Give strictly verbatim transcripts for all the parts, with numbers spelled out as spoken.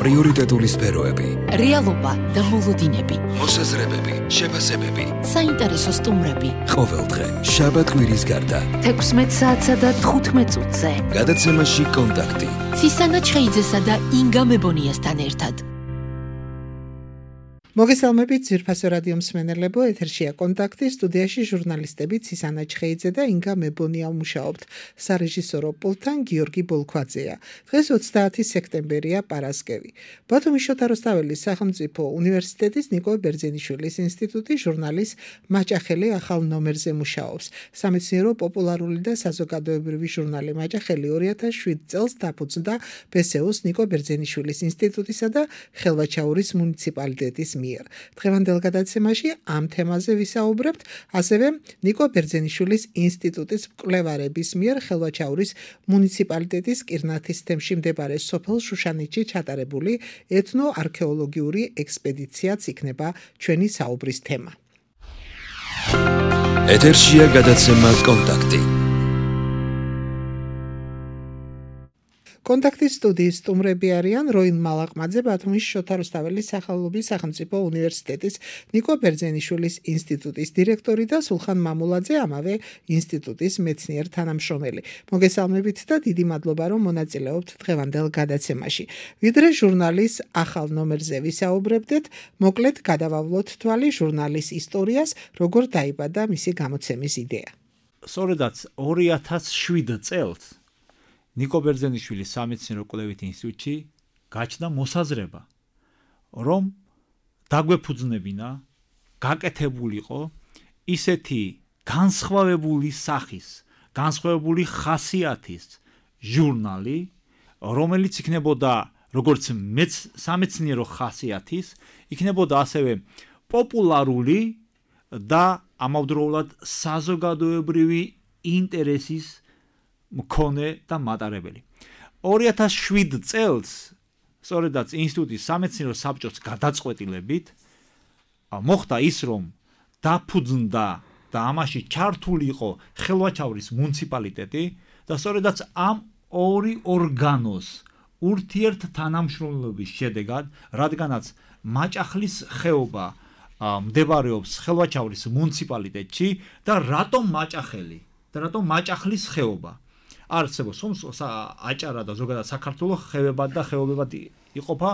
პრიორიტეტული სფეროები, რეალობა და მოლოდინები, მოსაზრებები, შეფასებები, საინტერესო სტუმრები. ყოველდღე შაბათ კვირის გარდა თექვსმეტ საათსა და თხუთმეტ წუთზე გადაცემაში კონტაქტი ცისანა ჩხეიძესა და ინგა მებონიასთან ერთად. მოგესალმებით ძვირფასო რადიო მსმენელებო, ეთერშია კონტაქტი, სტუდიაში ჟურნალისტები ცისანა ჩხეიძე და ინგა მებონია მუშაობთ. სარეჟისორო პულტთან გიორგი ბოლქვაძეა. დღეს ოცდაათი სექტემბერია, პარასკევი. ბათუმის შოთა რუსთაველის სახელმწიფო უნივერსიტეტის ნიკო ბერძენიშვილის ინსტიტუტი ჟურნალის მაჭახელი ახალ ნომერზე მუშაობს. სამეცნიერო, პოპულარული და საზოგადოებრივი ჟურნალი მაჭახელი ორი ათას შვიდ წელს დაფუძნდა ბესეუს ნიკო ბერძენიშვილის ინსტიტუტისა და ხელვაჩაურის მუნიციპალიტეტის მიერ. დღევანდელ გადაცემაში ამ თემაზე ვისაუბრებთ, ასევე ნიკო ბერძენიშვილის ინსტიტუტის მკვლევარების მიერ ხელვაჩაურის მუნიციპალიტეტის კირნათის თემში მდებარე სოფელ შუშანეთში ჩატარებული ეთნოარქეოლოგიური ექსპედიციაც იქნება ჩვენი საუბრის თემა. ეთერშია გადაცემა კონტაქტი. კონტაქტის სტუდიის სტუმრები არიან როინ მალაყმაძე, ბათუმის შოთა რუსთაველის სახელობის სახელმწიფო უნივერსიტეტის ნიკო ბერძენიშვილის ინსტიტუტის დირექტორი და სულხან მამულაძე, ამავე ინსტიტუტის მეცნიერ თანამშრომელი. მოგესალმებით და დიდი მადლობა, რომ მონაწილეობთ დღევანდელ გადაცემაში. ვიდრე ჟურნალის ახალ ნომერზე ვისაუბრებდეთ, მოკლედ გადავავლოთ თვალი ჟურნალის ისტორიას, როგორ დაიბადა მისი გამოცემის იდეა. სწორედაც ორი ათას შვიდ წელს ნიკო ბერძენიშვილის სამეცნიერო კვლევით ინსტიტუტში გაჩნდა მოსაზრება, რომ დაგვეფუძნებინა, გაკეთებულიყო ისეთი განსხვავებული სახის, განსხვავებული ხასიათის ჟურნალი, რომელიც იქნებოდა როგორც სამეცნიერო ხასიათის, იქნებოდა ასევე პოპულარული და ამავდროულად საზოგადოებრივი ინტერესის მქონე და მატარებელი. ორი ათას შვიდ წელს, სწორედაც ინსტიტუტის სამეცნიერო საბჭოს გადაწყვეტილებით, მოხდა ის, რომ დაფუძნდა და ამაში ჩართული იყო ხელვაჩაურის მუნიციპალიტეტი და სწორედაც ამ ორი ორგანოს ურთიერთთანამშრომლობის შედეგად, რადგანაც მაჭახლის ხეობა მდებარეობს ხელვაჩაურის მუნიციპალიტეტში და რატომ მაჭახელი და რატომ მაჭახლის ხეობა არსებობს, აჭარა და ზოგადად საქართველოს ხევებად და ხეობებად იყოფა,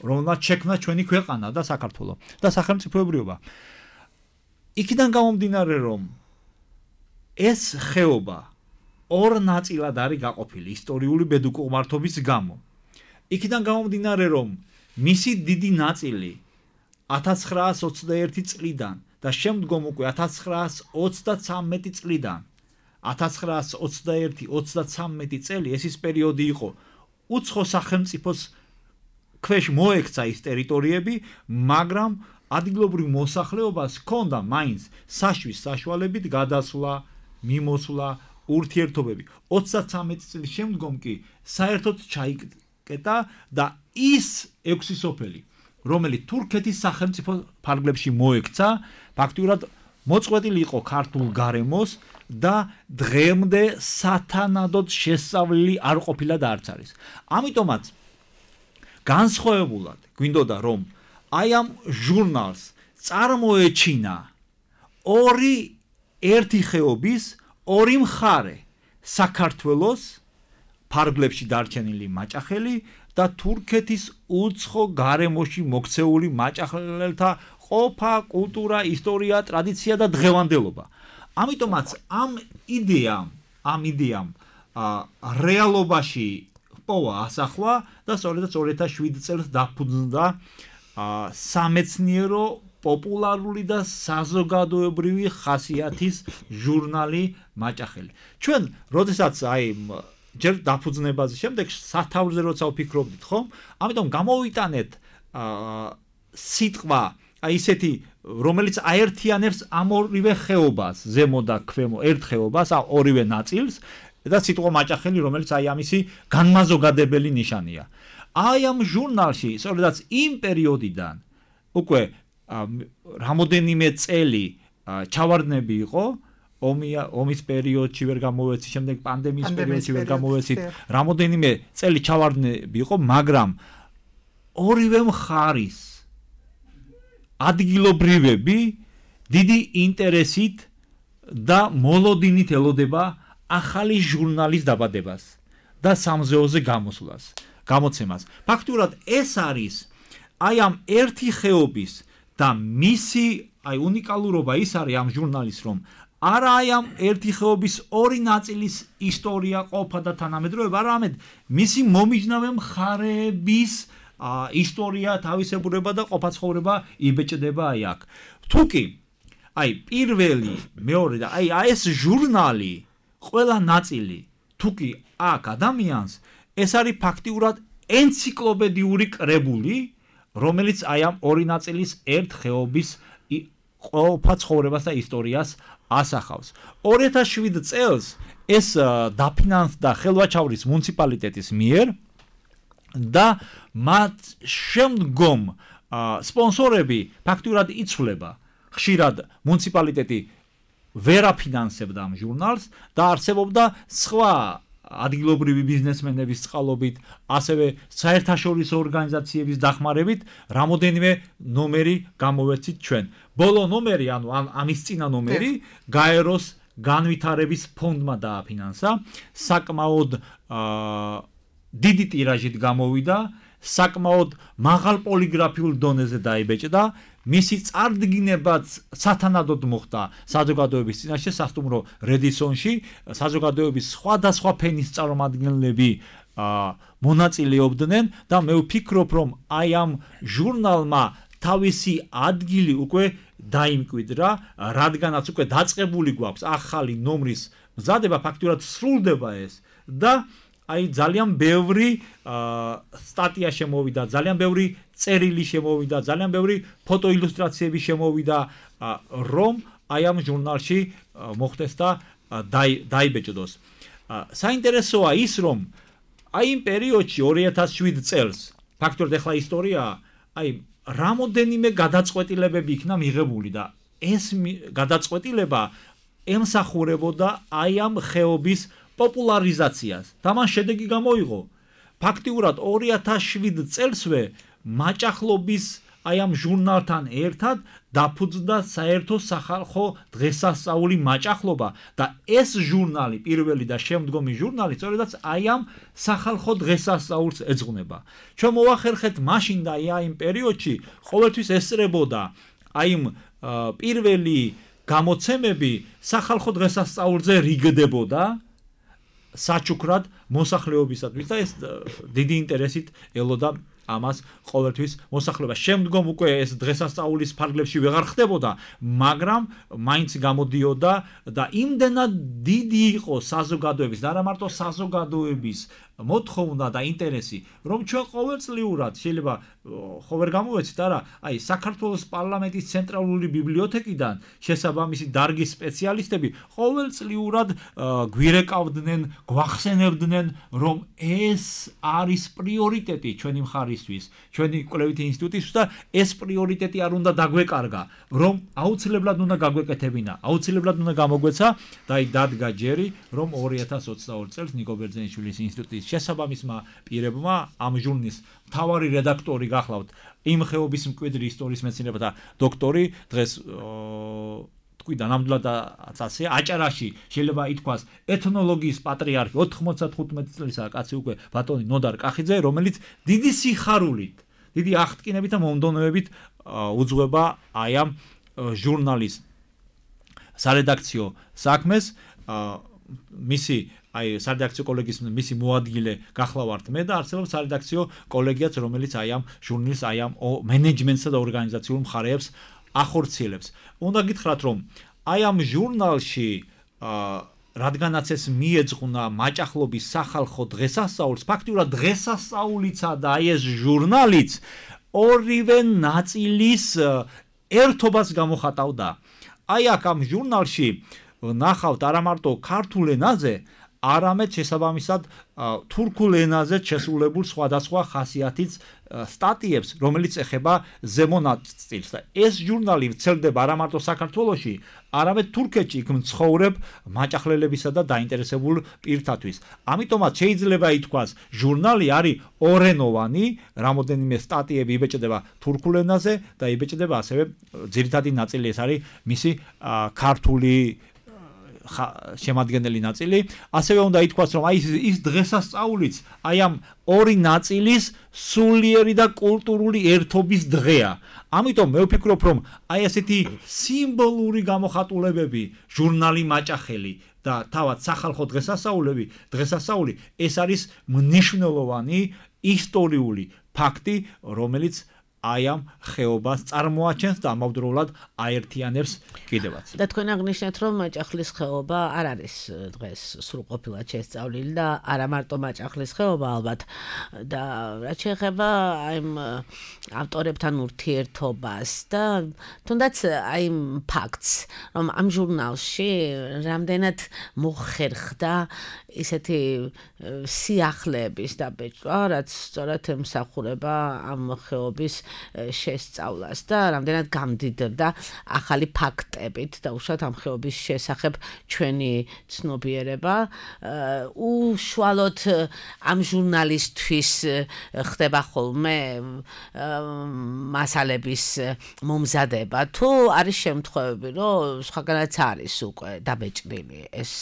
რომელმაც შექმნა ჩვენი ქვეყანა და საქართველო და სახელმწიფოებრიობა. იქიდან გამომდინარე, რომ ეს ხეობა ორ ნაწილად არის გაყოფილი ისტორიული ბედუკმართობის გამო. იქიდან გამომდინარე, რომ მისი დიდი ნაწილი ათას ცხრაას ოცდაერთი წლიდან და შემდგომ უკვე ათას ცხრაას ოცდათვრამეტი წლიდან ათას ცხრაას ოცდაერთი ოცდათვრამეტი წელი ეს ის პერიოდი იყო, უცხო სახელმწიფოს ქვეშ მოექცა ის ტერიტორიები, მაგრამ ადგილობრივ მოსახლეობას ჰქონდა მაინც საშვის საშუალებით გადასვლა, მიმოსვლა, ურთიერთობები. ოცდათვრამეტი წლის შემდგომ კი საერთოდ ჩაიკეტა და ის ექვსი სოფელი, რომელიც თურქეთის სახელმწიფო ფარგლებში მოექცა, ფაქტიურად მოწყვეტილი იყო ქართულ გარემოს და დღემდე სათანადოდ შესწავლილი არ ყოფილა და არც არის. ამიტომაც განსხვავებულად გვინდოდა, რომ აი ამ ჟურნალს წარმოეჩინა ორი ერთი ხეობის ორი მხარე, საქართველოს ფარგლებში დარჩენილი მაჭახელი და თურქეთის უცხო გარემოში მოქცეული მაჭახელთა ყოფა, კულტურა, ისტორია, ტრადიცია და დღევანდელობა. ამიტომაც ამ იდეამ, ამ იდეამ რეალობაში პოვა ასახვა და სწორედაც ორი ათას შვიდ წელს დაფუძნდა სამეცნიერო, პოპულარული და საზოგადოებრივი ხასიათის ჟურნალი მაჭახელი. ჩვენ, როდესაც აი ჯერ დაფუძნებაზე შემდეგ სათავზე როცა ვფიქრობდით, ხომ? ამიტომ გამოვიტანეთ სიტყვა აი ისეთი, რომელიც აერთიანებს ამ ორივე ხეობას, ზემო და ქვემო, ერთ ხეობას, ორივე ნაწილს და სიტყვა მაჭახელი, რომელიც აი ამისი განმაზოგადებელი ნიშანია. აი ამ ჟურნალში, სწორედაც იმ პერიოდიდან უკვე რამოდენიმე წელი ჩავარდნები იყო, ომია ომის პერიოდში ვერ გამოვეცი, შემდეგ პანდემიის პერიოდში ვერ გამოვეცით, რამოდენიმე წელი ჩავარდნები იყო, მაგრამ ორივე მხარის ადგილობრივები დიდი ინტერესით და მოლოდინით ელოდება ახალი ჟურნალის დაბადებას და სამზეოზე გამოსვლას, გამოცემას. ფაქტურად ეს არის აი ამ ერთი ხეობის და მისი აი უნიკალურობა ის არის ამ ჟურნალის, რომ არა აი ამ ერთი ხეობის ორი ნაწილის ისტორია ყოფა და თანამედროვეობა, არამედ მისი მომიჯნავე მხარეების ისტორია, თავისებურება და ყოფაცხოვრება იბეჭდება აი აქ. თუკი აი პირველი, მეორე და აი ეს ჟურნალი ყველა ნაწილი თუკი აქ ადამიანს, ეს არის ფაქტიურად ენციკლოპედიური კრებული, რომელიც აი ამ ორი ნაწილის ერთ ხეობის ყოფაცხოვრებას და ისტორიას ასახავს. ორი ათას შვიდ წელს ეს დაფინანსდა ხელვაჩაურის მუნიციპალიტეტის მიერ და მათ შემდგომ სპონსორები ფაქტურად იცვლება. ხშირად მუნიციპალიტეტი ვერ აფინანსებდა ამ ჟურნალს და არსებობდა სხვა ადგილობრივი ბიზნესმენების წყალობით, ასევე საერთაშორისო ორგანიზაციების დახმარებით რამოდენიმე ნომერი გამოვეცით ჩვენ. ბოლო ნომერი, ანუ ამის წინა ნომერი გაეროს განვითარების ფონდმა დააფინანსა, საკმაოდ დიდი ტირაჟით გამოვიდა, საკმაოდ მაღალ პოლიგრაფიულ დონეზე დაიბეჭდა, მისი წარდგინებაც სათანადოდ მოხდა საზოგადოების წინაშე, სასტუმრო რედისონში, საზოგადოების სხვადასხვა ფენის წარმომადგენლები მონაწილეობდნენ და მე ვფიქრობ, რომ აი ამ ჟურნალმა თავისი ადგილი უკვე დაიმკვიდრა, რადგანაც უკვე დაწყებული გვაქვს ახალი ნომრის მზადება, ფაქტურად სრულდება ეს და აი ძალიან ბევრი სტატია შემოვიდა, ძალიან ბევრი წერილი შემოვიდა, ძალიან ბევრი ფოტოილუსტრაციები შემოვიდა, რომ აი ამ ჟურნალში მოხდეს და დაიბეჭდოს. საინტერესოა ის, რომ აი იმ პერიოდში ორი ათას შვიდ წელს, ფაქტობრივად ახლა ისტორია, აი რამოდენიმე გადაწყვეტილებები იქნა მიღებული და ეს გადაწყვეტილება ემსახურებოდა აი ამ ხეობის პოპულარიზაციას და მან შედეგი გამოიღო. ფაქტიურად ორი ათას შვიდ წელსვე მაჭახლობის აი ამ ჟურნალთან ერთად დაფუძნდა საერთო სახალხო დღესასწაული მაჭახლობა და ეს ჟურნალი, პირველი და შემდგომი ჟურნალი, სწორედაც აი ამ სახალხო დღესასწაულს ეძღვნება. ჩვენ მოვახერხეთ მაშინ და აი იმ პერიოდში ყოველთვის ესწრებოდა აი იმ პირველი გამოცემები სახალხო დღესასწაულზე რიგდებოდა საჩუქრად მოსახლეობისათვის და ეს დიდი ინტერესით ელოდა ამას ყოველთვის მოსახლეობა. შემდგომ უკვე ეს დღესასწაულის ფარგლებში ვეღარ ხდებოდა, მაგრამ მაინც გამოდიოდა და იმდენად დიდი იყო საზოგადოების და არა მარტო საზოგადოების მოთხოვნა და ინტერესი, რომ ჩვენ ყოველწლიურად შეიძლება ხო ვერ გამოვეცით არა, აი საქართველოს პარლამენტის ცენტრალური ბიბლიოთეკიდან შესაბამისი დარგის სპეციალისტები ყოველწლიურად გვირეკავდნენ, გვახსენებდნენ, რომ ეს არის პრიორიტეტი ჩვენი მხარისთვის, ჩვენი კვლევითი ინსტიტუტისთვის და ეს პრიორიტეტი არ უნდა დაგვეკარგა, რომ აუცილებლად უნდა გაგვეკეთებინა, აუცილებლად უნდა გამოგვეცა და აი დადგა ჯერი, რომ ორი ათას ოცდაორი წელს ნიკო ბერძენიშვილის ინსტიტუტის შესაბამისმა პირებმა ამ ჟურნალის მთავარი რედაქტორი გახლავთ იმ ხეობის მკვიდრი ისტორიის მეცნიერებათა დოქტორი, დღეს თქვი და ნამდვილად ასე აჭარაში შეიძლება ითქვას ეთნოლოგიის პატრიარქი ოთხმოცდახუთმეტი წლისაა კაცი უკვე ბატონი ნოდარ კახიძე, რომელიც დიდი სიხარულით, დიდი აღტკინებით და მომდევნობით უძღვება აი ამ ჟურნალის სარედაქციო საქმეს. მისი აი სარედაქციო კოლეგიის მისი მოადგილე გახლავართ მე და არსებობს სარედაქციო კოლეგიაც, რომელიც აი ამ ჟურნალის აი ამ მენეჯმენტსა და ორგანიზაციულ მხარეებს ახორციელებს. უნდა გითხრათ, რომ აი ამ ჟურნალში რადგანაც ეს მიეძღვნა მაჭახლობის სახალხო დღესასწაულს, ფაქტიურად დღესასწაულიცა და აი ეს ჟურნალიც ორივე ნაწილის ერთობას გამოხატავდა. აი აქ ამ ჟურნალში ნახავთ არა მარტო ქართულ ენაზე, არამედ შესაბამისად თურქულ ენაზე შესრულებულ სხვადასხვა ხასიათის სტატიებს, რომელიც ეხება ზემო ნაწილს და ეს ჟურნალი ვრცელდება არა მარტო საქართველოში, არამედ თურქეთში იქ მცხოვრებ მაჭახლებლებისა და დაინტერესებულ პირთათვის. ამიტომაც შეიძლება ითქვას, ჟურნალი არის ორენოვანი, რამოდენიმე სტატიები იბეჭდება თურქულ ენაზე და იბეჭდება ასევე ძირითადი ნაწილი ეს არის მისი ქართული შემადგენელი ნაწილი. ასევე უნდა ითქვას, რომ აი ის დღესასწაულიც აი ამ ორი ნაწილის სულიერი და კულტურული ერთობის დღეა. ამიტომ მე ვფიქრობ, რომ აი ასეთი სიმბოლური გამოხატულებები, ჟურნალი მაჭახელი და თავად სახალხო დღესასწაულები, დღესასწაული ეს არის მნიშვნელოვანი ისტორიული ფაქტი, რომელიც აი ამ ხეობას წარმოაჩენს და ამავდროულად აერთიანებს კიდევაც. და თქვენ აღნიშნეთ, რომ მაჭახლის ხეობა არ არის დღეს სრულყოფილად შესწავლილი და არა მარტო მაჭახლის ხეობა ალბათ და რაც შეეხება აი ავტორებთან ურთიერთობას და თუნდაც აი იმ ფაქტს, რომ ამ ჟურნალში რამდენად მოხერხდა ისეთი სიახლეების დაბეჭდვა, რაც სწორად ემსახურება ამ ხეობის შესწავლას და რამდენად გამდიდრდა ახალი ფაქტებით და უშუალოდ ამ ხეობის შესახებ ჩვენი ცნობიერება. უშუალოდ ამ ჟურნალისტვის ხდება ხოლმე მასალების მომზადება, თუ არის შემთხვევები, რომ სხვაგანაც არის უკვე დაბეჭდილი ეს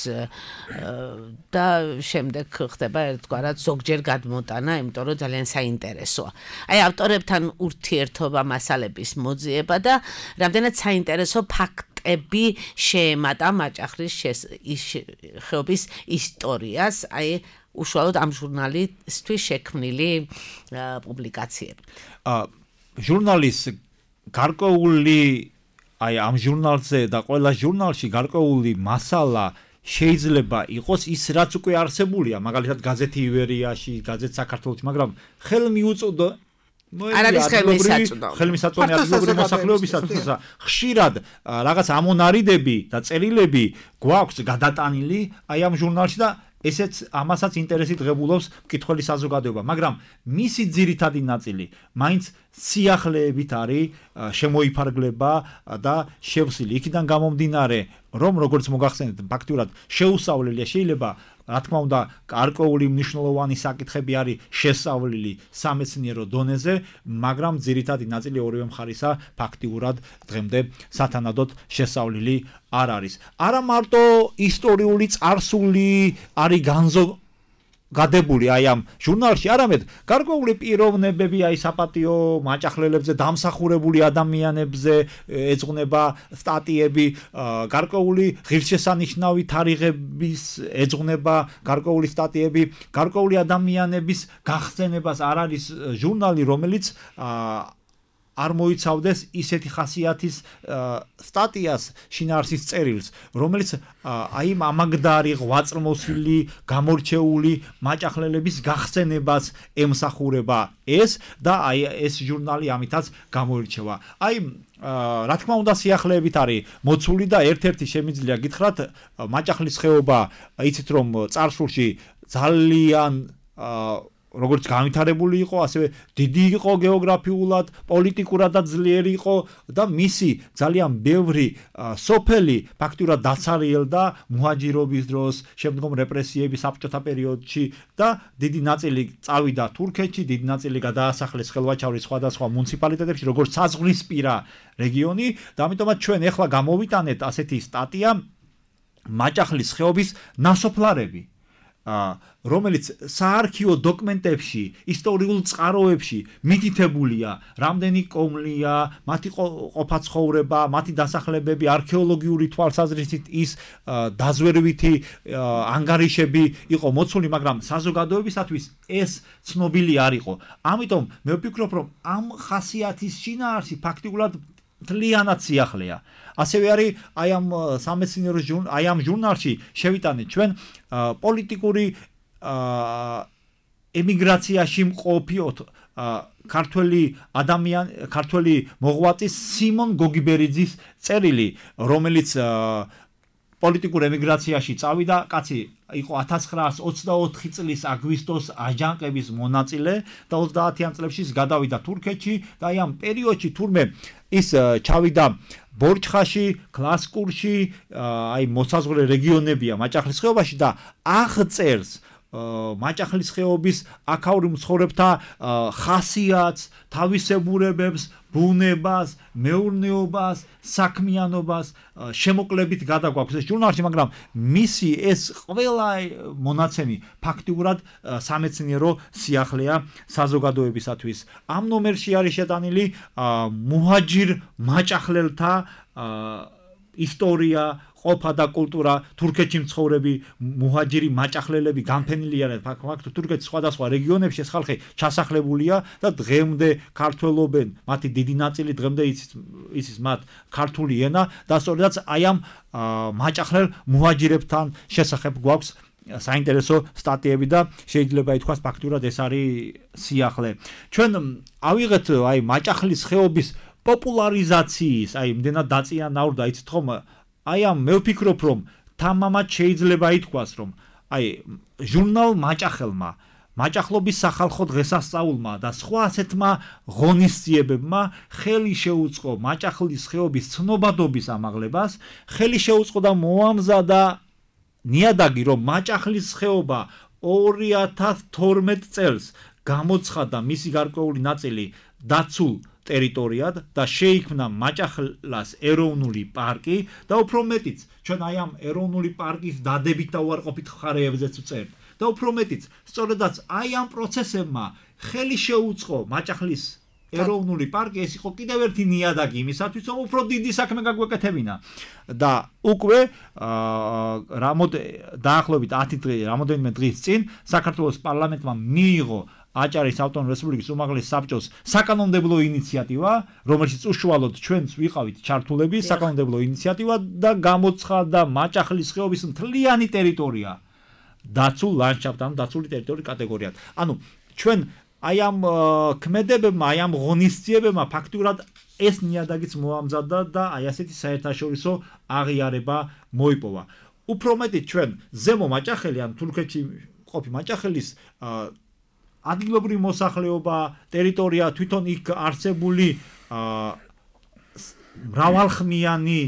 და შემდეგ ხდება ერთგვარად ზოგჯერ გადმოტანა, იმიტომ რომ ძალიან საინტერესოა. აი ავტორებთან ურთიერთობა მასალების მოძიება და რამდენად საინტერესო ფაქტები შეემატა მაჭახლის ხეობის ისტორიას, აი უშუალოდ ამ ჟურნალისტვის შექმნილი პუბლიკაციები. ჟურნალის გარკვეული აი ამ ჟურნალზე და ყველა ჟურნალში გარკვეული მასალა შეიძლება იყოს ის რაც უკვე არსებულია, მაგალითად გაზეთი ივერიაში, გაზეთ საქართველოში, მაგრამ ხელმიუწოდო არ არის ხელმისაწვდომი. ხელმისაწვდომი ადგილობრივი მოსახლეობისათვის ხშირად რაღაც ამონარიდები და წერილები გვაქვს გადატანილი აი ამ ჟურნალში და ესეც ამასაც ინტერესი დღებულობს მკითხველი საზოგადოება, მაგრამ მისი ძირითადი ნაწილი მაინც სიახლეებით არის შემოიფარგლება და შევსილი. იქიდან გამომდინარე, რომ როგორც მოგახსენეთ, ფაქტურად შეუსწავლელია, შეიძლება რა თქმა უნდა, გარკვეული მნიშვნელოვანი საკითხები არის შესწავლილი სამეცნიერო დონეზე, მაგრამ ძირითადი ნაწილი ორივე მხარისა ფაქტიურად დღემდე სათანადოდ შესწავლილი არ არის. არა მარტო ისტორიული წარსული არის განზო გადებული აი ამ ჟურნალში, არამედ გარკვეული პიროვნებები აი საპატიო მაჭახლელებზე დამსახურებული ადამიანებზე ეძღვნება სტატიები, გარკვეული ღირსშესანიშნავი თარიღების ეძღვნება გარკვეული სტატიები, გარკვეული ადამიანების გახსენებას არ არის ჟურნალი, რომელიც არ მოიცავდეს ისეთი ხასიათის სტატიას, შინაარსის წერილს, რომელიც აი ამაგდარი, ღვაწლმოსილი, გამორჩეული მაჭახლელების გახსენებას ემსახურება ეს და აი ეს ჟურნალი ამითაც გამოირჩევა. აი რა თქმა უნდა სიახლეებით არის მოცული და ერთ-ერთი შემიძლია გითხრათ, მაჭახლის ხეობა, იცით რომ წარსულში ძალიან როგორც განვითარებული იყო, ასევე დიდი იყო გეოგრაფიულად, პოლიტიკურადაც ძლიერი იყო და მისი ძალიან ბევრი სოფელი ფაქტურად დაცარიელდა მუჰაჯირობის დროს, შემდგომ რეპრესიების საბჭოთა პერიოდში და დიდი ნაწილი წავიდა თურქეთში, დიდი ნაწილი გადაასახლეს ხელვაჩაურის სხვადასხვა მუნიციპალიტეტებში, როგორც საზღვრისპირა რეგიონი და ამიტომაც ჩვენ ეხლა გამოვიტანეთ ასეთი სტატია მაჭახლის ხეობის ნასოფლარები. რომელიც საარქივო დოკუმენტებში, ისტორიულ წყაროებში მითითებულია, რამდენი კომლია, მათი ყოფაცხოვრება, მათი დასახლებები, არქეოლოგიური თვალსაზრისით ის დაზვერვითი ანგარიშები იყო მოცული, მაგრამ საზოგადოებისათვის ეს ცნობილი არ იყო. ამიტომ მე ვფიქრობ, რომ ამ ხასიათის შინაარსი ფაქტიურად მთლიანად სიახლეა. ასევე არის აი ამ სამეცნიერო აი ამ ჟურნალში შევიტანეთ ჩვენ პოლიტიკური ემიგრაციაში მყოფი ქართველი ადამიანი, ქართველი მოღვაწის სიმონ გოგიბერიძის წერილი, რომელიც პოლიტიკურ ემიგრაციაში წავიდა, კაცი იყო ათას ცხრაას ოცდაოთხი წლის აგვისტოს აჯანყების მონაწილე და ოცდაათიან წლებში გადავიდა თურქეთში და აი ამ პერიოდში თურმე ის ჩავიდა ბორჩხაში, გლასკურში, აი მოსაზღვრე რეგიონებია მაჭახლის ხეობაში და აღწერს მაჭახლის ხეობის აქაური მცხოვრებთა ხასიათს, თავისებურებებს, ბუნებას, მეურნეობას, საქმიანობას შემოკლებით გადაგვაქვს ეს ჟურნალში, მაგრამ მისი ეს ყველა მონაცემი ფაქტიურად სამეცნიერო სიახლეა საზოგადოებისათვის. ამ ნომერში არის შეტანილი მუჰაჯირ მაჭახლელთა ისტორია, ყოფა და კულტურა, თურქეთში მცხოვრები მუჰაჯირი მაჭახლელები განფენილი არიან ფაქტობრივად თურქეთის სხვადასხვა რეგიონებში ეს ხალხი ჩასახლებულია და დღემდე ქართველობენ, მათი დიდი ნაწილი დღემდე იცის იცის მათ ქართული ენა და სწორედაც აი ამ მაჭახლელ მუჰაჯირებთან შესახებ გვაქვს საინტერესო სტატიები და შეიძლება ითქვას ფაქტურად ეს არის სიახლე. ჩვენ ავიღეთ აი მაჭახლის ხეობის პოპულარიზაციის, აი იმდენად დაწიანაურდა, იცით ხომ? აი ამ მე ვფიქრობ, რომ თამამად შეიძლება ითქვას, რომ აი ჟურნალ მაჭახელმა, მაჭახლობის სახალხო დღესასწაულმა და სხვა ასეთმა ღონისძიებებმა ხელი შეუწყო მაჭახლის ხეობის ცნობადობის ამაღლებას, ხელი შეუწყო და მოამზადა ნიადაგი, რომ მაჭახლის ხეობა ორი ათას თორმეტ წელს გამოცხადა მისი გარკვეული ნაწილი დაცულ ტერიტორიად და შეიქმნა მაჭახლას ეროვნული პარკი და უფრო მეტიც ჩვენ აი ამ ეროვნული პარკის დადებით და უარყოფით ხარეებზეც ვწერთ და უფრო მეტიც სწორედაც აი ამ პროცესებმა ხელი შეუწყო მაჭახლის ეროვნული პარკი ეს იყო კიდევ ერთი ნიადაგი იმისათვის რომ უფრო დიდი საქმე გაგვეკეთებინა და უკვე დაახლოებით ათი დღე რამოდენიმე დღის წინ საქართველოს პარლამენტმა მიიღო აჭარის ავტონომიური რესპუბლიკის უმაღლეს საბჭოს საკანონმდებლო ინიციატივა, რომელშიც უშუალოდ ჩვენც ვიყავით ჩართულები, საკანონმდებლო ინიციატივა და გამოცხადა მაჭახლის ხეობის მთლიანი ტერიტორია დაცულ ლანდშაფტთან, დაცული ტერიტორიის კატეგორიად. ანუ ჩვენ აი ამ ქმედებებმა, აი ამ ღონისძიებებმა ფაქტურად ეს ნიადაგიც მოამზადა და აი ასეთი საერთაშორისო აღიარება მოიპოვა. უფრო მეტიც ჩვენ ზემო მაჭახელი ან თურქეთში ყოფი მაჭახელის ადგილობრივი მოსახლეობა, ტერიტორია, თვითონ იქ არსებული მრავალხმიანი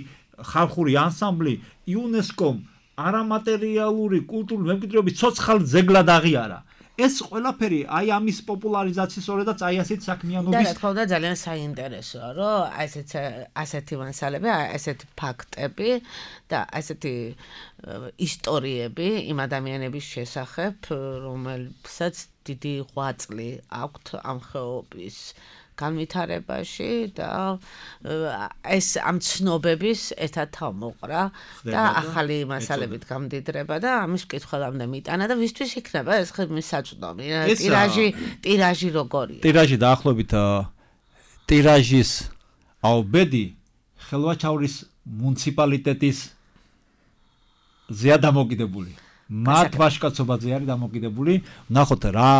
ხალხური ანსამბლი იუნესკომ არამატერიალური კულტურული მემკვიდრეობის ცოცხალ ძეგლად აღიარა. ეს ყველაფერი აი ამის პოპულარიზაციის სწორედაც აი ასეთ საქმიანობის და რა თქმა უნდა ძალიან საინტერესოა, რომ ასეთ ასეთი მასალები, ასეთი ფაქტები და ასეთი ისტორიები იმ ადამიანების შესახებ, რომელსაც დიდი ღვაწლი აქვთ ამ ხეობის განვითარებაში და ეს ამ ცნობების ერთად თავმოყრა და ახალი მასალებით გამდიდრება და ამის მკითხველამდე მიტანა და ვისთვის იქნება ეს ხმის საწვდომი ტირაჟი ტირაჟი როგორია ტირაჟი დაახლოებით ტირაჟის აუბედი ხელვაჩაურის მუნიციპალიტეტის ზეა დამოკიდებული მათ ვაშკაცობაზე არის დამოკიდებული. ნახოთ რა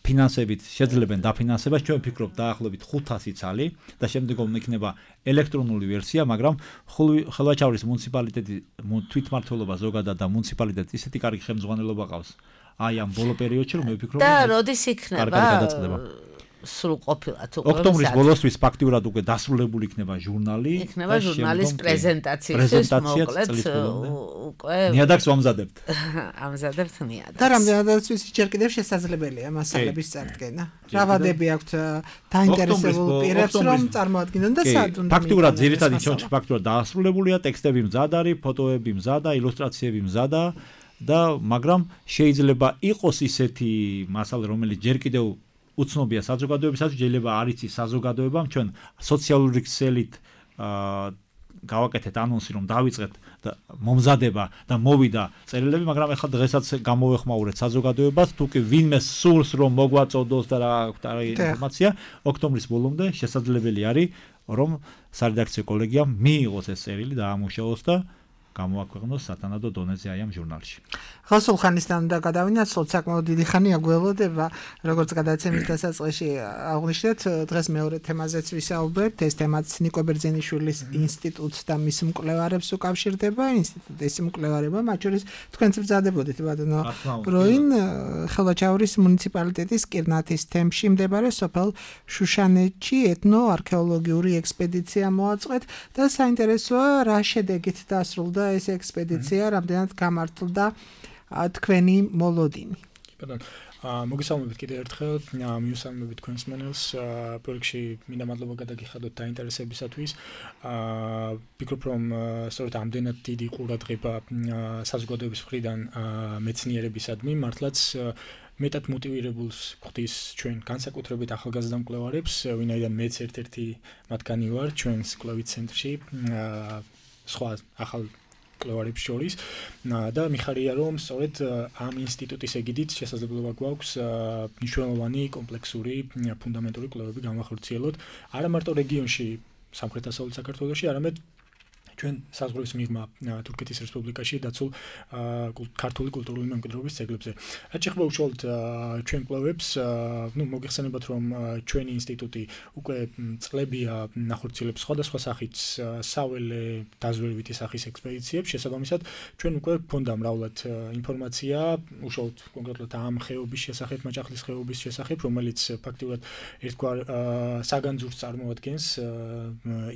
ფინანსებით შეძლებენ დაფინანსებას, ჩვენ ვფიქრობთ დაახლოებით ხუთასი ცალი და შემდეგ იქნება ელექტრონული ვერსია, მაგრამ ხელვაჩაურის მუნიციპალიტეტი თვითმმართველობა ზოგადად და მუნიციპალიტეტი ისეთი კარგი ხელმძღვანელობა ყავს. აი ამ ბოლო პერიოდში რომ მე ვფიქრობ და როდის იქნება სულ ყოფილად უკვე ოქტომბრის ბოლოსთვის ფაქტიურად უკვე დასრულებული იქნება ჟურნალი იქნება ჟურნალის პრეზენტაციის მოკლედ უკვე ნიადაგს ვამზადებთ ამზადებთ ნიადაგს და რამდენადაც ვიცი ჯერ კიდევ შესაძლებელია მასალების წარდგენა რა ვადები აქვთ დაინტერესებულ პირებს რომ წარმოადგინონ და სად უნდა ფაქტიურად ძირითადად ჩვენში ფაქტიურად დასრულებულია ტექსტები მზად არის ფოტოები მზად და ილუსტრაციები მზად და მაგრამ შეიძლება იყოს ისეთი მასალა რომელიც ჯერ კიდევ უცნობია საზოგადოებისათვის, შეიძლება არ იცის საზოგადოებამ, ჩვენ სოციალური ქსელით გავაკეთეთ ანონსი, რომ დავიწყეთ მომზადება და მოვიდა წერილები, მაგრამ ახლა დღესაც გამოვეხმაურეთ საზოგადოებას, თუ კი ვინმე სურს რომ მოგვაწოდოს და რა ინფორმაცია, ოქტომბრის ბოლომდე შესაძლებელი არის, რომ სარედაქციო კოლეგიამ მიიღოს ეს წერილი და ამუშავოს და გამოაქვეყნოს სათანადო დონეზე აი ამ ჟურნალში. ხოსულ ხანისთან უნდა გადავინაცვლოთ, საკმაოდ დიდი ხანია გველოდება, როგორც გადაცემის დასაწყისში აღვნიშნეთ, დღეს მეორე თემაზეც ვისაუბრებთ, ეს თემაც ნიკო ბერძენიშვილის ინსტიტუტს და მის მკვლევარებს უკავშირდება, ინსტიტუტის მკვლევარება, მათ შორის თქვენც ბრძანდებოდით ბატონო როინ ხელვაჩაურის მუნიციპალიტეტის კირნათის თემში მდებარე სოფელ შუშანეთში ეთნო-არქეოლოგიური ექსპედიცია მოაწყვეთ და საინტერესოა რა შედეგით დასრულდა ეს ექსპედიცია, რამდენად გამართლდა თქვენი მოლოდინი. ბატონო, მოგესალმებით კიდევ ერთხელ, მიუსალმებით თქვენს მენელს პროექტში, მინდა მადლობა გადაგიხადოთ დაინტერესებისათვის. ვფიქრობ, რომ სწორედ ამდენად დიდი ყურადღება საზოგადოების მხრიდან მეცნიერებისადმი, მართლაც მეტად მოტივირებულს ხვდის ჩვენ განსაკუთრებით ახალგაზრდა მკვლევარებს, ვინაიდან მეც ერთ-ერთი მათგანი ვარ ჩვენს კვლევით ცენტრში, სხვა ახალ მკვლევარებს შორის და მიხარია რომ სწორედ ამ ინსტიტუტის ეგიდით შესაძლებლობა გვაქვს მნიშვნელოვანი კომპლექსური ფუნდამენტური კვლევები განვახორციელოთ არა მარტო რეგიონში სამხრეთ-დასავლეთ საქართველოში, არამედ ჩვენ საზღვრის მიღმა თურქეთის რესპუბლიკაში დაცულ ქართული კულტურული მემკვიდრეობის ძეგლებზე. რაც შეეხება უშუალოდ ჩვენ კვლევებს, ნუ მოგეხსენებათ რომ ჩვენი ინსტიტუტი უკვე წლებია ნახორციელებს სხვადასხვა სახით საველე დაზვერვითი სახის ექსპედიციებს, შესაბამისად ჩვენ უკვე გვქონდა მრავლად ინფორმაცია უშუალოდ კონკრეტულად ამ ხეობის შესახებ, მაჭახლის ხეობის შესახებ, რომელიც ფაქტიურად ერთგვარ საგანძურს წარმოადგენს,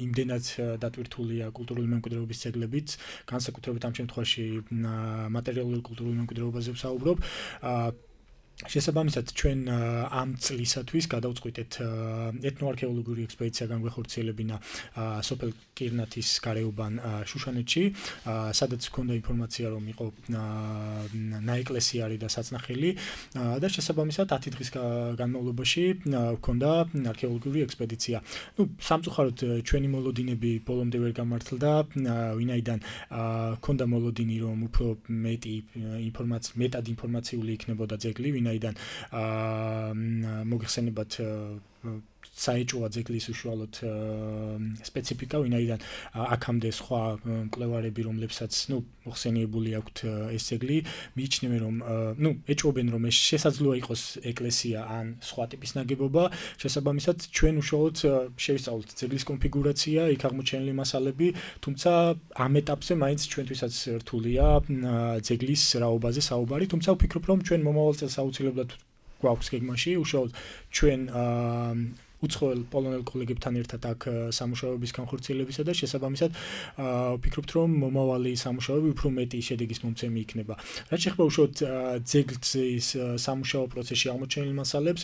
იმდენად დატვირთულია კულტურული მემკვიდრეობის ძეგლებით, განსაკუთრებით ამ შემთხვევაში მატერიალური კულტურული მემკვიდრეობაზე ვსაუბრობ. შესაბამისად ჩვენ ამ წლისათვის გადავწყვიტეთ ეთნოარქეოლოგიური ექსპედიცია განვეხორციელებინა სოფელ კირნათის გარეუბან შუშანეთში, სადაც ჰქონდა ინფორმაცია რომ იყო ნაეკლესიარი და საწნახელი და შესაბამისად ათი დღის განმავლობაში ჰქონდა არქეოლოგიური ექსპედიცია. ნუ სამწუხაროდ ჩვენი მოლოდინები ბოლომდე ვერ გამართლდა, ვინაიდან ჰქონდა მოლოდინი რომ უფრო მეტი ინფორმაცია, მეტად ინფორმაციული იქნებოდა ძეგლი, ვინაიდან მოგეხსენებათ საეჭვოა ძეგლის უშუალოდ სპეციფიკა, ვინაიდან აქამდე სხვა მკვლევარები, რომლებსაც ნუ მოხსენიებული აქვთ ეს ძეგლი, მიიჩნევენ რომ ნუ ეჭვობენ რომ ეს შესაძლოა იყოს ეკლესია ან სხვა ტიპის ნაგებობა, შესაბამისად ჩვენ უშუალოდ შევისწავლეთ ძეგლის კონფიგურაცია, იქ აღმოჩენილი მასალები, თუმცა ამ ეტაპზე მაინც ჩვენთვისაც რთულია ძეგლის რაობაზე საუბარი, თუმცა ვფიქრობ რომ ჩვენ მომავალ წელს აუცილებლად გვაქვს გეგმაში უშუალოდ ჩვენ უცხოელ პოლონელ კოლეგებთან ერთად აქ სამუშაოების განხორციელებისა და შესაბამისად ვფიქრობთ რომ მომავალი სამუშაოები უფრო მეტი შედეგის მომცემი იქნება. რაც შეეხება უშუალოდ ძეგლის სამუშაო პროცესში აღმოჩენილ მასალებს,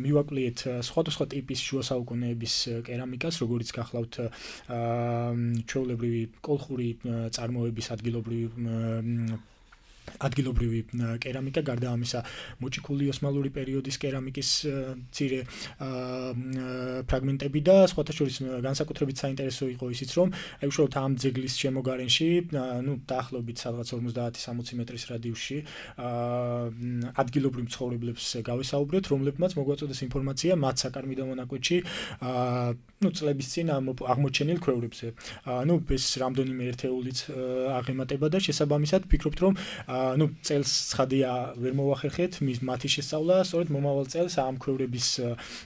მივაკლიეთ სხვადასხვა ტიპის შუა საუკუნეების კერამიკას, როგორიც გახლავთ ჩვეულებრივი კოლხური წარმოების ადგილობრივი ადგილობრივი კერამიკა, გარდა ამისა მოჭიქული ოსმალური პერიოდის კერამიკის მცირე ფრაგმენტები და სხვათა შორის განსაკუთრებით საინტერესო იყო ისიც რომ აი უშუალოდ ამ ძეგლის შემოგარენში, ნუ დაახლოებით სადღაც ორმოცდაათი სამოცი მეტრის რადიუსში ადგილობრივ მცხოვრებლებს გავესაუბრეთ, რომლებმაც მოგვაწოდეს ინფორმაცია მათ საკარმიდო მონაკვეთში ნუ წლების წინ აღმოჩენილ ქვევრებზე. ნუ ეს რამდენიმე ერთეულიც აღემატება და შესაბამისად ვფიქრობთ რომ ნუ წელს ცხადია ვერ მოვახერხეთ მათი შესწავლა, სწორედ მომავალ წელს ამ ქვევრების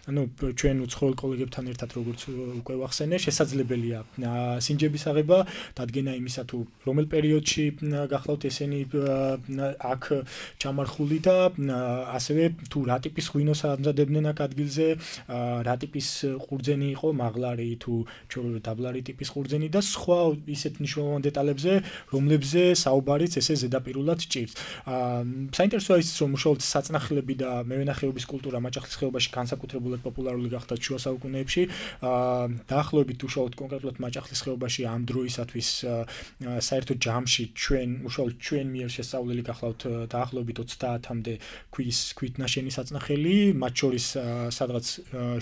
ნუ ჩვენ უცხოელ კოლეგებთან ერთად როგორც უკვე ვახსენე, შესაძლებელია სინჯების აღება, დადგენა იმისა თუ რომელ პერიოდში გახლავთ ესენი აქ ჩამარხული და ასევე თუ რა ტიპის ღვინოს ამზადებდნენ აქ ადგილზე, რა ტიპის ყურძენი იყო, მაღლარი თუ ჩვეულებრივი დაბლარი ტიპის ყურძენი და სხვა ისეთ მნიშვნელოვან დეტალებზე, რომლებზე საუბარიც ესე ზედაპირულად ჭირს. საინტერესოა ის რომ უშუალოდ საწნახელები და მევენახეობის კულტურა მაჭახლის ხეობაში განსაკუთრებულად პოპულარული გახდა შუა საუკუნეებში. დაახლოებით უშუალოდ კონკრეტულად მაჭახლის ხეობაში ამ დროისათვის საერთო ჯამში ჩვენ უშუალოდ ჩვენ მიერ შესწავლილი გახლავთ დაახლოებით ოცდაათამდე ქვის ქვით ნაშენი საწნახელი, მათ შორის სადღაც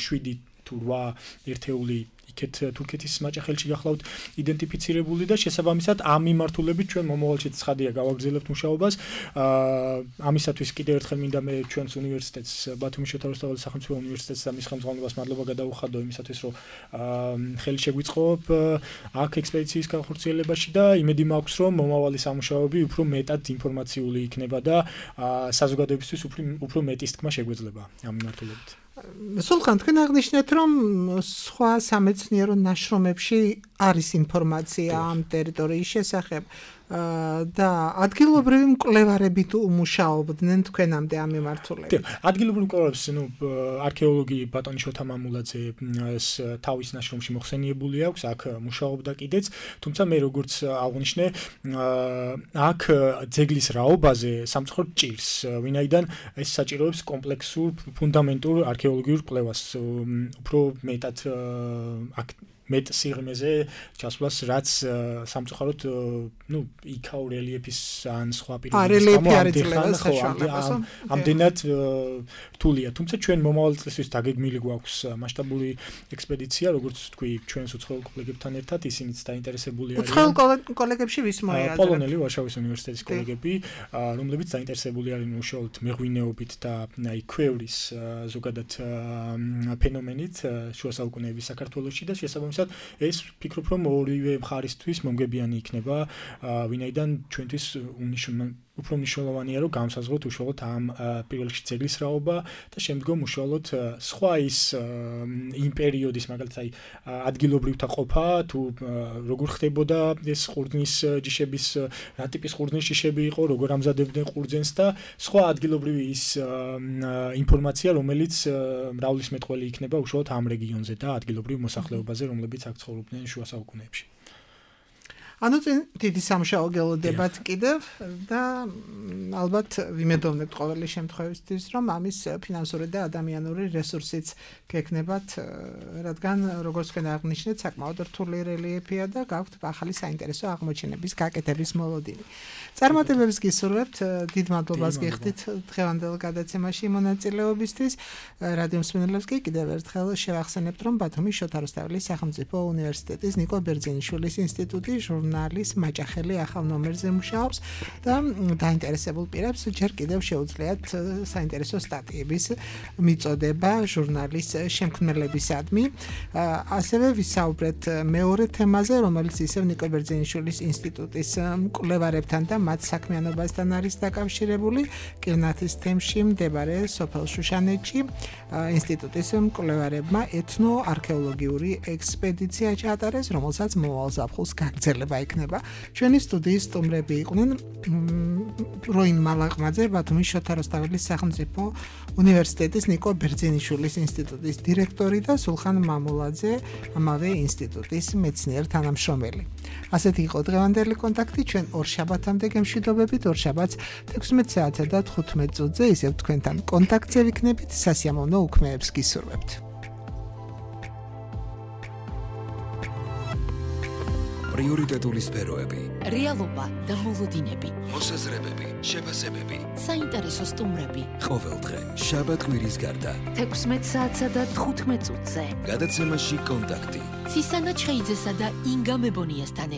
შვიდი თუ რვა ერთეული იქეთ თურქეთის მაჭახელში გახლავთ იდენტიფიცირებული და შესაბამისად ამ მიმართულებით ჩვენ მომავალში ცხადია გავაგრძელებთ მუშაობას. ამისათვის კიდევ ერთხელ მინდა მე ჩვენს უნივერსიტეტს ბათუმის შოთა რუსთაველის სახელმწიფო უნივერსიტეტს და მის ხელმძღვანელობას მადლობა გადაუხადო იმისათვის რომ ხელი შეგვიწყობ აქ ექსპედიციის განხორციელებაში და იმედი მაქვს რომ მომავალი სამუშაოები უფრო მეტად ინფორმაციული იქნება და საზოგადოებისთვის უფრო უფრო მეტის თქმა შეგვეძლება ამ მიმართულებით. სულხან, თქვენ აღნიშნეთ, რომ სხვა სამეცნიერო ნაშრომებში არის ინფორმაცია ამ ტერიტორიის შესახებ და ადგილობრივი მკვლევარები თუ მუშაობდნენ თქვენამდე ამ მიმართულებით. ადგილობრივი მკვლევარებს, ნუ არქეოლოგი ბატონი შოთა მამულაძე თავის ნაშრომში მოხსენიებული აქვს, აქ მუშაობდა კიდეც, თუმცა მე როგორც აღვნიშნე, აქ ძეგლის რაობაზე სამწუხაროდ ჭირს, ვინაიდან ეს საჭიროებს კომპლექსურ ფუნდამენტურ არქეოლოგიურ კვლევას, უფრო მეტად აქ მეტ სიღრმეზე ჩასვლას, რაც სამწუხაროდ ნუ იქაურ რელიეფის ან სხვა პირობების გამო ამდენად რთულია. თუმცა ჩვენ მომავალ წლისთვის დაგეგმილი გვაქვს მასშტაბური ექსპედიცია, როგორც თქვი, ჩვენს უცხოელ კოლეგებთან ერთად, ისინიც დაინტერესებული არიან. უცხოელ კოლეგებში ვის მოიაზრებთ? პოლონელი ვარშავის უნივერსიტეტის კოლეგები, რომლებიც დაინტერესებული არიან უშუალოდ მეღვინეობით და აი ქვევრის ზოგადად ფენომენით შუა საუკუნეების საქართველოში და შესაბამისად ეს ვფიქრობ რომ ორივე მხარისთვის მომგებიანი იქნება, ვინაიდან ჩვენთვის უფრო მნიშვნელოვანია რომ გამსაზღვროთ უშუალოდ ამ პირველ რიგში ძეგლის რაობა და შემდგომ უშუალოდ სხვა ის იმ პერიოდის მაგალითად აი ადგილობრივთა ყოფა თუ როგორ ხდებოდა ეს ყურძნის ჯიშების რა ტიპის ყურძნის ჯიშები იყო, როგორ ამზადებდნენ ყურძენს და სხვა ადგილობრივი ის ინფორმაცია რომელიც მრავლისმეტყველი იქნება უშუალოდ ამ რეგიონზე და ადგილობრივ მოსახლეობაზე რომლებიც აქ ცხოვრობდნენ შუა საუკუნეებში. ანუ დიდი სამუშაო გელოდებათ კიდევ და ალბათ ვიმედოვნებთ ყოველი შემთხვევისთვის რომ ამის ფინანსური და ადამიანური რესურსიც გექნებათ, რადგან როგორც თქვენ აღნიშნეთ საკმაოდ რთული რელიეფია და გაქვთ ახალი საინტერესო აღმოჩენების გაკეთების მოლოდინი. წარმატებებს გისურვებთ, დიდ მადლობას გიხდით დღევანდელ გადაცემაში მონაწილეობისთვის. რადიო მსმენელებს კი კიდევ ერთხელ შევახსენებთ რომ ბათუმის შოთა რუსთაველის სახელმწიფო უნივერსიტეტის ნიკო ბერძენიშვილის ინსტიტუტი ჟურნალის მაჭახელი ახალ ნომერზე მუშაობს და დაინტერესებულ პირებს ჯერ კიდევ შეუძლიათ საინტერესო სტატიების მიწოდება ჟურნალის შემქმნელებისადმი. ასევე ვისაუბრეთ მეორე თემაზე, რომელიც ისევ ნიკო ბერძენიშვილის ინსტიტუტის მკვლევარებთან და მათ საქმიანობასთან არის დაკავშირებული. კირნათის თემში მდებარე სოფელ შუშანეთში ინსტიტუტის მკვლევარებმა ეთნო-არქეოლოგიური ექსპედიცია ჩაატარეს, რომელსაც მომავალ ზაფხულს გაგრძელება იქნება. ჩვენი სტუდიის სტუმრები იყვნენ როინ მალაღმაძე, ბათუმის შოთა რუსთაველის სახელმწიფო უნივერსიტეტის ნიკო ბერძენიშვილის ინსტიტუტის დირექტორი და სულხან მამულაძე, ამავე ინსტიტუტის მეცნიერ თანამშრომელი. ასეთი იყო დღევანდელი კონტაქტი, ჩვენ ორ შაბათამდე გემშვიდობებით, ორ შაბათს თექვსმეტ საათსა და თხუთმეტ წუთზე ისევ თქვენთან კონტაქტზე ვიქნებით, სასიამოვნო უქმეებს გისურვებთ. პრიორიტეტული სფეროები, რეალობა და მოლოდინები, მოსაზრებები, შეფასებები, საინტერესო სტუმრები. ყოველდღე შაბათ კვირის გარდა თექვსმეტ საათსა და თხუთმეტ წუთზე გადაცემაში კონტაქტი. ცისანა ჩხეიძესა და ინგა მებონიასთან